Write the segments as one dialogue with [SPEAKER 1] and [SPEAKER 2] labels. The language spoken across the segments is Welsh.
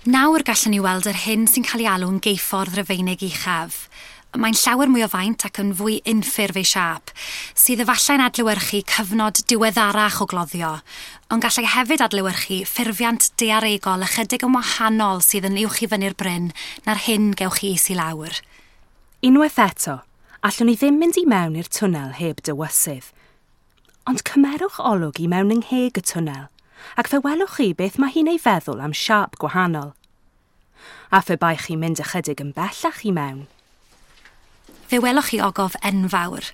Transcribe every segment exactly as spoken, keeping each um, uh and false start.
[SPEAKER 1] Nawr gallwn ni weld yr hyn sy'n cael ei alw'n geuffordd Rufeinig uchaf. Mae'n llawer mwy o faint ac yn fwy unffurf ei siâp, sydd efallai'n adlewyrchu cyfnod diweddarach o gloddio, ond gallai hefyd adlewyrchu ffurfiant daearegol ychydig yn wahanol sydd yn uwch i fyny'r bryn na'r hyn gewch chi is i lawr.
[SPEAKER 2] Unwaith eto, allwn ni ddim mynd i mewn i'r twnnel heb dywysydd. Ond cymerwch olwg i mewn yng ngheg y twnnel, ac fe welwch chi beth mae hi'n ei feddwl am siâp gwahanol. A phe baech chi'n mynd ychydig yn bellach i mewn.
[SPEAKER 1] Fe welwch chi ogof enfawr.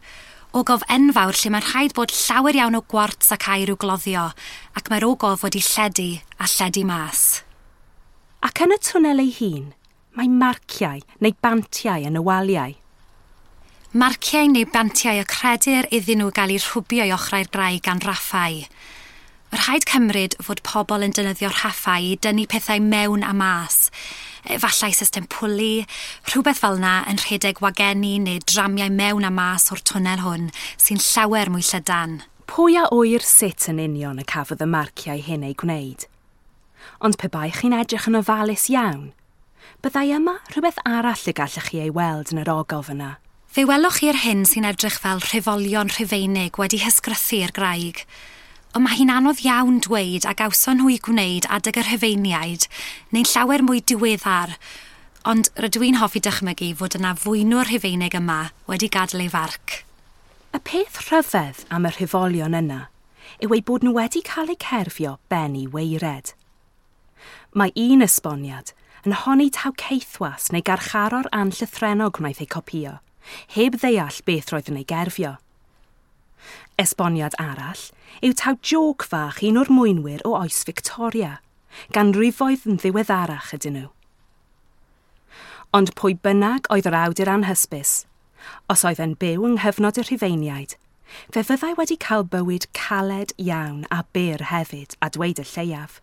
[SPEAKER 1] Ogof enfawr lle mae'n rhaid bod llawer iawn o gwarts ac aur i'w gloddio, ac mae'r ogof wedi lledu a lledu mas.
[SPEAKER 2] Ac yn y twnnel ei hun, mae marciau neu bantiau yn y waliau.
[SPEAKER 1] Marciau neu bantiau y credir iddyn nhw gael eu rhwbio i ochrau'r graig gan raffau. Rhaid cymryd fod pobl yn defnyddio rhaffau i dynnu pethau mewn a mas. Efallai system pwli, rhywbeth fel yna yn rhedeg wageni neu dramiau mewn a mas o'r twnnel hwn sy'n llawer mwy llydan.
[SPEAKER 2] Pwy a ŵyr sut yn union y cafodd y marciau hyn eu gwneud? Ond pe baech chi'n edrych yn ofalus iawn, byddai yma rhywbeth arall y gallech chi ei weld yn yr ogof yna.
[SPEAKER 1] Fe welwch chi'r hyn sy'n edrych fel rhifolion Rhufeinig wedi hysgrythu i'r graig. Ond mae hi'n anodd iawn dweud a gawson nhw i gwneud adeg y Rhufeiniaid, neu'n llawer mwy diweddar, ond rydw i'n hoffi dychmygu fod yna fwynwr Rhufeinig yma wedi gadael ei farc.
[SPEAKER 2] Y peth rhyfedd am y rhifolion yna yw eu bod nhw wedi cael eu cerfio ben i waered. Mae un esboniad yn honni taw caethwas neu garcharor anllythrennog wnaeth ei copio, heb ddeall beth roedd yn ei gerfio. Esboniad arall yw taw jôc fach un o'r mwynwyr o oes Victoria, ganrifoedd yn ddiweddarach ydyn nhw. Ond pwy bynnag oedd yr awdur anhysbys, os oedd e'n byw yng nghyfnod y Rhufeiniaid, fe fyddai wedi cael bywyd caled iawn a byr hefyd a dweud y lleiaf.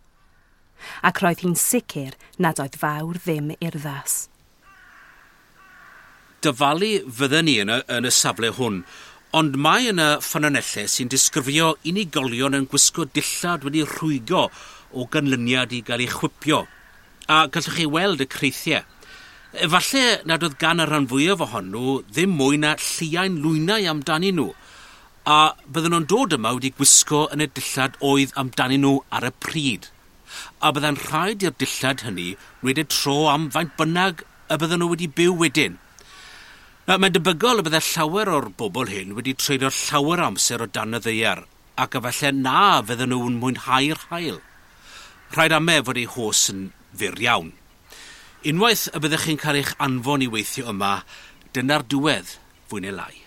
[SPEAKER 2] Ac roedd hi'n sicr nad oedd fawr ddim urddas.
[SPEAKER 3] Dyfalu fydden ni yn y, yn y safle hwn, ond mae yna ffynonellau sy'n disgrifio unigolion yn gwisgo dillad wedi rhwygo o ganlyniad i gael eu chwipio. A gallwch chi weld y creithiau. Efallai nad oedd gan y rhan fwyaf ohonyn nhw ddim mwy na lliain lwynau amdanyn nhw, a bydden nhw'n dod yma wedi gwisgo yn y dillad oedd amdanyn nhw ar y pryd. A bydde'n rhaid i'r dillad hynny wneud y tro am faint bynnag y bydden nhw wedi byw wedyn. Nawr, mae'n debygol y bydde llawer o'r bobl hyn wedi treulio llawer amser o dan y ddaear, ac efallai na fydden nhw'n mwynhau'r haul. Rhaid ame fod eu hoes yn fyr iawn. Unwaith y byddech chi'n cael eich anfon i weithio yma, dyna'r diwedd fwy neu lai.